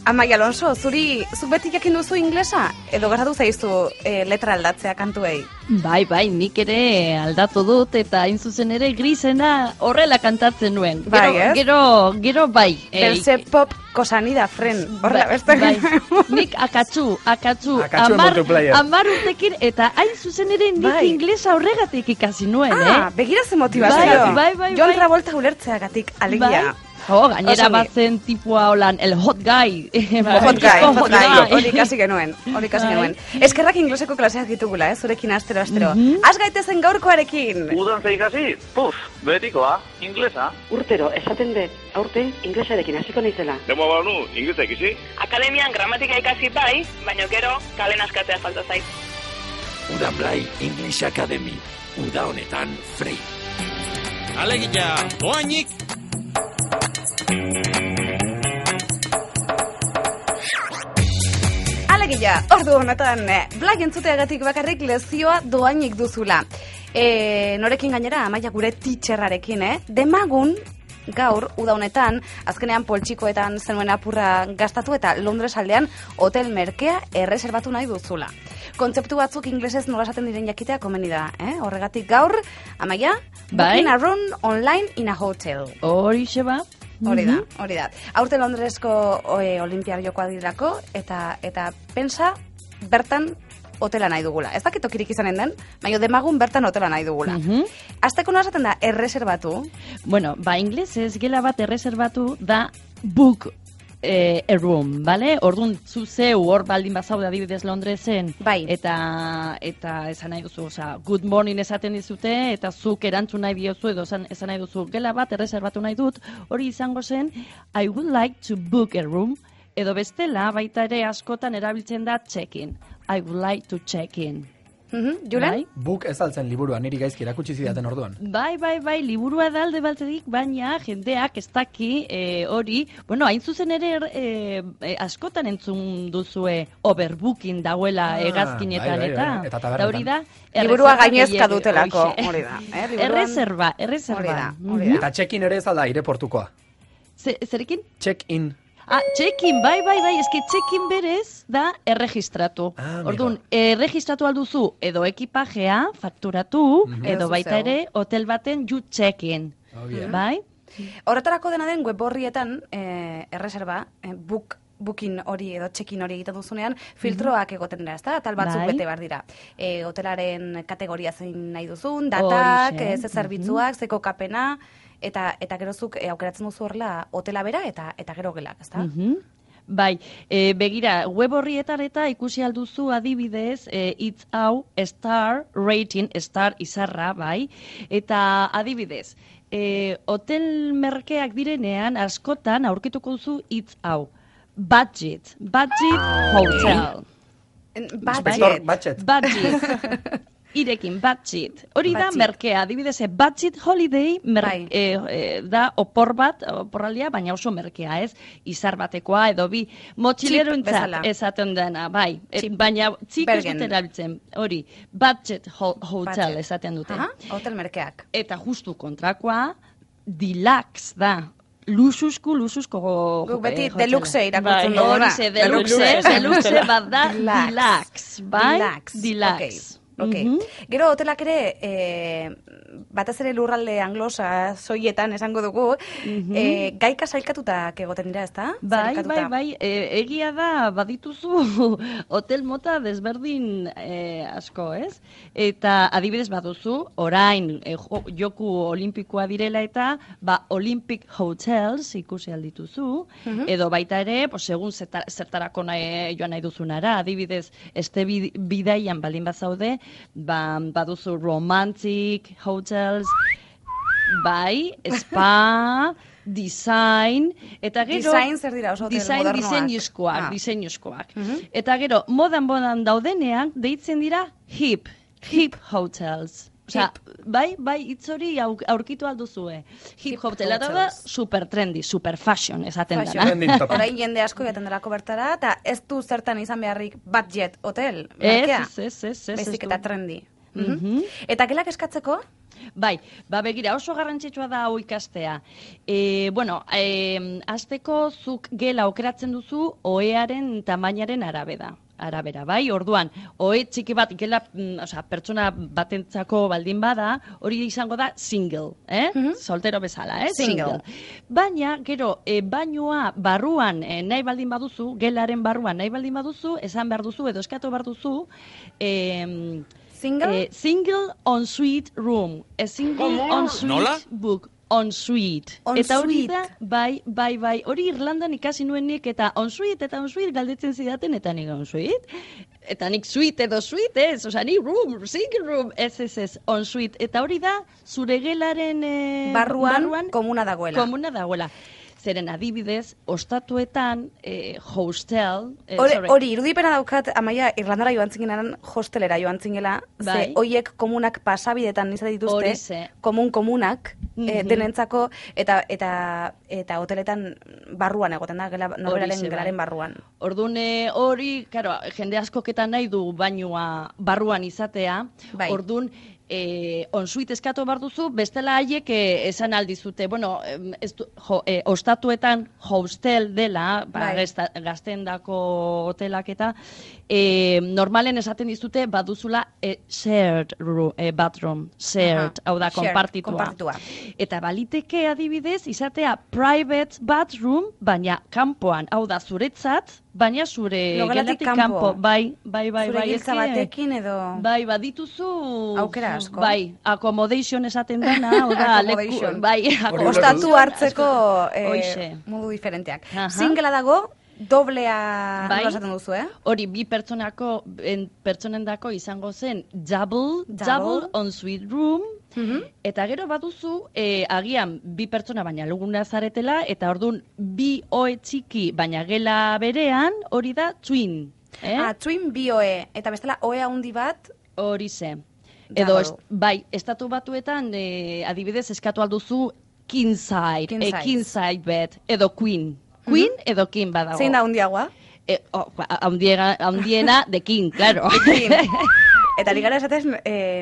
Amaia Alonso, zuk beti jakin duzu inglesa? Edo gertatu zaizu letra aldatzea kantuei? Bai, nik ere aldatu dut eta hain zuzen ere Grisena horrela kantatzen nuen. Gero bai. Berse pop kosanida, fren, horrela beste. Bai. Nik akatsu, 10 urtekin eta hain zuzen ere nik inglesa horregatik ikasi nuen, begira ze motivazio. Bai. Jon Travolta ulertzeagatik, alegia. Gainera batzen tipua holan, el hot guy. Hot guy. Hori ikasi genuen. Eskerrak ingleseko klaseak ditugula, zurekin astero. Az gaitezen gaurkoarekin. Udan ze ikasi? Betikoa, inglesa. Urtero, esaten dut, aurten inglesarekin hasiko naizela. Demo banu, inglesa ikisi? Akademian gramatika ikasi bai, baina gero kalen askatzea falta zait. Udan Blai English Academy. Uda honetan free. Alegia, doainik! Alegia, ordu honetan, Blai entzuteagatik bakarrik lezioa doainik duzula. Norekin gainera, Amaia gure teacherrarekin, demagun gaur, uda honetan, azkenean poltsikoetan zenuen apurra gastatu eta Londres aldean hotel merkea erreserbatu nahi duzula. Kontzeptu batzuk inglesez nola esaten diren jakitea komeni da, Horregatik gaur, Amaia, booking a room online in a hotel. Horixe ba. Hori da. Aurten Londresko olimpiar jokoa dirako eta pensa bertan hotela nahi dugula. Ez dakit tokirik izanen den, baina demagun bertan hotela nahi dugula. Azteko nola esaten da erreserbatu? Bueno, inglesez gela bat erreserbatu da book a room, bale? Orduan zuzeu hor baldin bazaude adibidez Londresen, eta esan nahi duzu, good morning esaten dizute, eta zuk erantzun nahi diozu, edo esan nahi duzu, gela bat erreserbatu nahi dut, hori izango zen, I would like to book a room, edo bestela baita ere askotan erabiltzen da check-in. I would like to check-in. Julen? Book ez altzen liburua, niri gaizki erakutsi zidaten orduan. Bai, liburua da alde balterik, baina jendeak ez daki hori, hain zuzen ere askotan entzun duzue overbooking dauela hegazkinetan eta hori da. Liburua gainezka dutelako, hori da. Erreserba. Eta check-in ere ez alda aireportukoa. Zerekin? Check-in. Check-in, bai, eski check-in berez da erregistratu. Orduan, erregistratu alduzu edo ekipajea fakturatu, edo baita ere hotel baten you check-in. Bai? Horretarako dena den web horrietan erreserba, booking hori edo check-in hori egiten duzunean, filtroak egoten dira, ezta? Tal batzuk bete behar dira. Hotelaren kategoria zein nahi duzun, datak, ze zerbitzuak, ze kokapena, eta gerozuk aukeratzen duzu horrela hotela bera eta gero gelak, ezta? Bai, begira, web horrietan eta ikusi alduzu adibidez, it's hau star rating, star izarra, bai, eta adibidez, hotel merkeak direnean askotan aurkituko duzu it's hau, budget hotel. Budget. Irekin, budget. Hori da merkea, adibidez, budget holiday da oporraldia, baina oso merkea, ez? Izar batekoa, edo bi motxilero esaten dena, bai. Baina txik ez dut erabiltzen, hori, budget hotel esaten dute. Hotel merkeak. Eta justu kontrakoa, deluxe da. Luxusko guk beti deluxe irakurtzen dugu. Horize, deluxe bat da, deluxe, bai? Deluxe. Gero hotelak ere, batez ere lurralde anglosa soietan esango dugu, gaika sailkatutak egoten dira, ezta? Bai, egia da badituzu hotel mota desberdin asko, ez? Eta adibidez baduzu, orain joku olimpikoa direla eta Olympic Hotels ikusi aldituzu, edo baita ere, segun zertarako joan nahi duzunara, adibidez, este bidaian baldin bazaude, baduzu romantic hotels, bai, spa, design, eta gero... Design zer dira oso hotel modernoak? Diseinuzkoak. Eta gero, modan daudenean, deitzen dira hip hotels. Osea, bai, hitz hori aurkitu alduzue. Hip hotela da super trendy, super fashion esaten dena. Orain jende asko jaten delako bertara, eta ez du zertan izan beharrik budget hotel. Ez. Baizik eta trendy. Eta gelak eskatzeko? Bai, begira, oso garrantzitsua da hau ikastea. Hasteko zuk gela aukeratzen duzu ohearen tamainaren arabera, bai? Orduan, ohe txiki bat gela, pertsona batentzako baldin bada, hori izango da single, soltero bezala, single. Baina, gero, bainua barruan nahi baldin baduzu, gelaren barruan nahi baldin baduzu, esan behar duzu, edo eskatu behar duzu, single en suite room. A single en suite book. En suite. Eta hori da, bai, hori Irlandan ikasi nuenik, eta en suite galdetzen zidaten, eta nik en suite. Eta nik suite edo suite, ez, nik room, single room, ez, en suite. Eta hori da, zure gelaren barruan komuna dagoela. Zeren adibidez, ostatuetan hostel... Hori, irudipena daukat, Amaia, Irlandara joan zingenan hostelera joan zingela, ze hoiek komunak pasabidetan izan dituzte, komunak, denentzako, eta hoteletan barruan egoten da, norberaren gelaren barruan. Orduan, hori, jende askoketan nahi du bainua barruan izatea, orduan, onsuit eskatu behar duzu, bestela haiek esan aldizute, ostatuetan hostel dela, gaztendako hotelak eta, normalen esaten dizute baduzula shared bathroom, shared, hau da, konpartitua. Eta baliteke adibidez, izatea private bathroom, baina kanpoan, hau da, zuretzat, baina zure gelatik kanpo, bai. Zure giltza batekin edo... Bai, badituzu... Aukera asko. Bai, accommodation esaten dena, accommodation. Ostatu hartzeko modu diferenteak. Singela dago, doblea nola esaten duzu, Hori, bi pertsonendako izango zen double en suite room, eta gero baduzu, agian bi pertsona baina luguna zaretela, eta orduan bi ohe txiki baina gela berean, hori da twin. Twin bi ohe, eta bestela ohe handi bat? Hori ze. Edo, estatu batuetan, adibidez, eskatu alduzu king side bed, edo queen. Queen edo king badago. Zein da handiagoa? Handiena de king, claro. Eta ligara esatez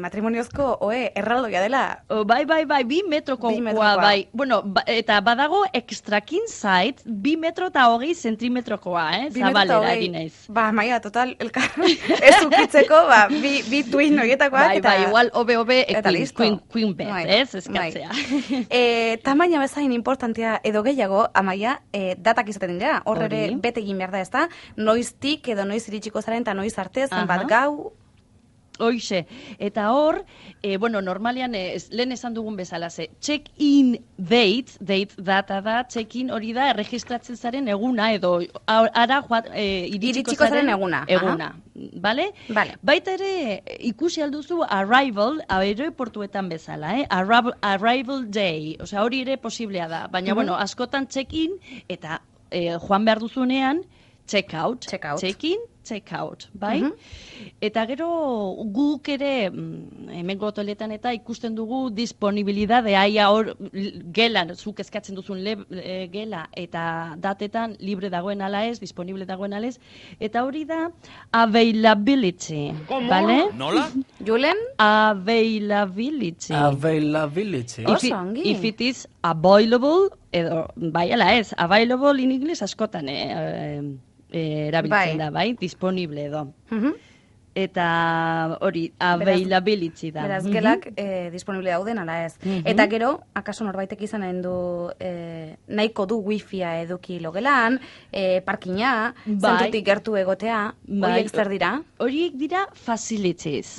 matrimoniozko erraldoia dela. Bai, 2 metrokoa, bai. Bueno, eta badago extra king side, 2 metro eta 20 zentimetrokoa, zabalera ginez. Maia, total, ez ukitzeko, bi twin horietakoak. Bai, igual, obe, queen bed, ez, eskatzea. Tamaina bezain importantea edo gehiago, Amaia, datak izaten dira, hor ere bete egin behar da, ez da, noiztik edo noiz iritsiko zaren, eta noiz arte, zenbat gau. Hoixe, eta hor, normalean, lehen esan dugun bezala, check-in data da, check-in hori da, erregistratzen zaren eguna, edo ara iritsiko zaren eguna. Bale? Baita ere, ikusi alduzu arrival, aeroportuetan bezala, arrival day, hori ere posiblea da, baina, askotan check-in, eta joan behar duzunean, check-out, check-in, check-out, bai? Eta gero guk ere, hemengo hoteletan eta ikusten dugu disponibilidade, aia hor gelan, zuk eskatzen duzun gela eta datetan libre dagoen ala ez, disponible dagoen ala ez, eta hori da availability, bale? Nola? Julen? Availability. Oso ongi. If it is available, edo, bai ala ez, available in English askotan, erabiltzen da, bai? Disponible edo. Eta hori, availability da. Beraz, gelak disponible dauden, ala ez. Eta gero, akaso norbaitek izan du nahiko du wifia eduki logelan, parkina, zentutik gertu egotea, horiek zer dira? Horiek dira facilities.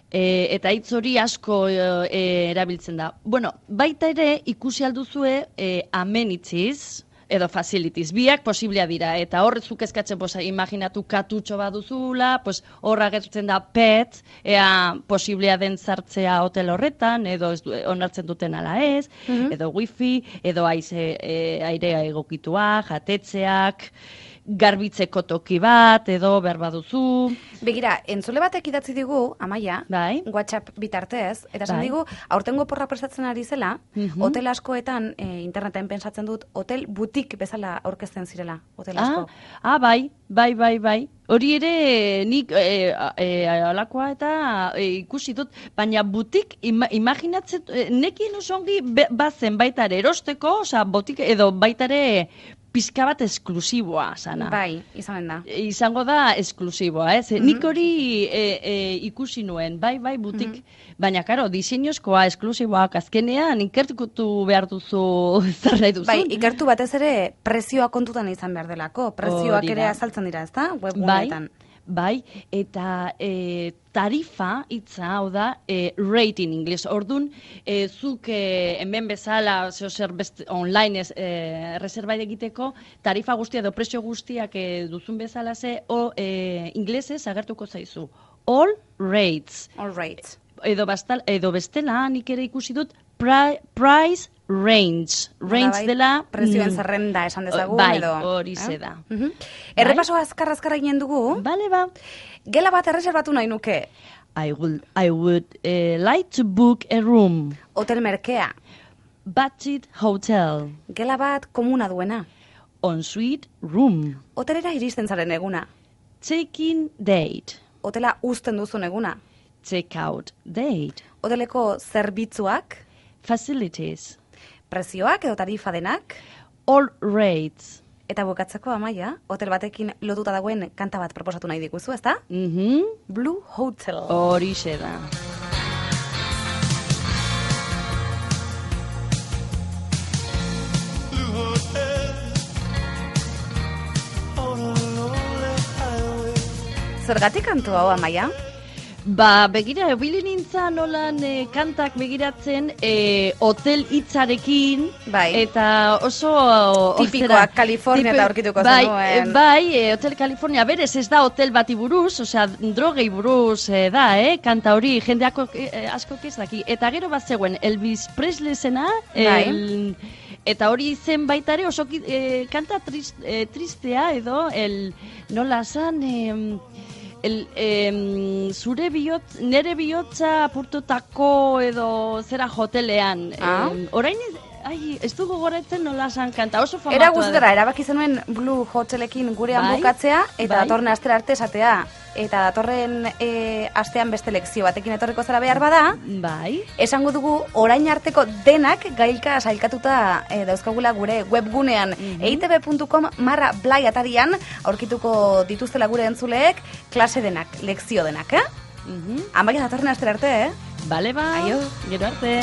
Eta hitz hori asko erabiltzen da. Baita ere, ikusi alduzue amenities, edo facilities, biak posiblea dira, eta horrezuk eskatzen, imaginatu katutxo baduzula, horra gertzen da pet, ea posiblea den zartzea hotel horretan, edo onartzen duten ala ez, edo wifi, edo airea egokitua, jatetzeak, garbitzeko toki bat, edo behar baduzu. Begira, entzule batek idatzi digu, Amaia, WhatsApp bitartez, eta esan digu, aurtengo porra prestatzen ari zela, hotel askoetan, interneten pensatzen dut, hotel butik bezala aurkezten zirela, hotel asko. Bai. Hori ere nik alakoa eta ikusi dut, baina butik imaginatzen, nekien oso ongi bazen baitare erosteko, botik edo baitare pizka bat esklusiboa sana. Bai, izanen da. Izango da esklusiboa, ez? Nik hori ikusi nuen, bai, butik, baina, karo, diseinozkoa, esklusiboak, azkenean, ikertuko behar duzu zer nahi duzu. Bai, ikertu batez ere prezioa kontutan izan behar delako. Prezioak ere azaltzen dira, ezta? Webguneetan. Bai, eta tarifa hitza, hau da, rate in English. Ordun, zuk hemen bezala, zer online reserva egiteko, tarifa guztia edo prezio guztiak duzun bezala inglesez agertuko zaizu. All rates. All rates. Edo bestela, nik ere ikusi dut, price range. Range dela... Prezioen zerrenda esan dezagun, edo... Bai, hori ze da. Errepaso azkar egin dugu. Bale, ba. Gela bat erreserbatu nahi nuke. I would like to book a room. Hotel merkea. Budget hotel. Gela bat komuna duena. On-suite room. Hotelera iristen zaren eguna. Check-in date. Hotela uzten duzun eguna. Check-out date. Hoteleko zerbitzuak. Facilities. Prezioak edo tarifa denak. All rates. Eta bukatzeko, Amaia, hotel batekin lotuta dagoen kanta bat proposatu nahi diguzu, ezta? Blue Hotel. Horixe da. Zergatik kantu hau, Amaia? Begira, ebili nintzen nolan kantak begiratzen hotel hitzarekin, eta oso... Tipikoak Kalifornia eta aurkituko zenuen. Bai, Hotel California, berez ez da hotel bati buruz, osea, drogei buruz da, kanta hori, jende asko ez daki. Eta gero bat zegoen, Elvis Presley zena, eta hori zen baita ere oso kanta tristea edo, nola zan... nere bihotza apurtutako edo zera hotelean. Orain ez dugu goretzen nola san kanta, oso famatu. Era guztara, erabaki zenuen Blue Hotelekin gurean bukatzea, eta datorren astera arte esatea. Eta datorren astean beste lekzio batekin etorriko zara behar bada, esango dugu orain arteko denak gailka sailkatuta dauzkagula gure webgunean eitb.com/blai atarian aurkituko dituztela gure entzuleek klase denak, lekzio denak, Amaia datorren astera arte, Bale, ba, gero arte.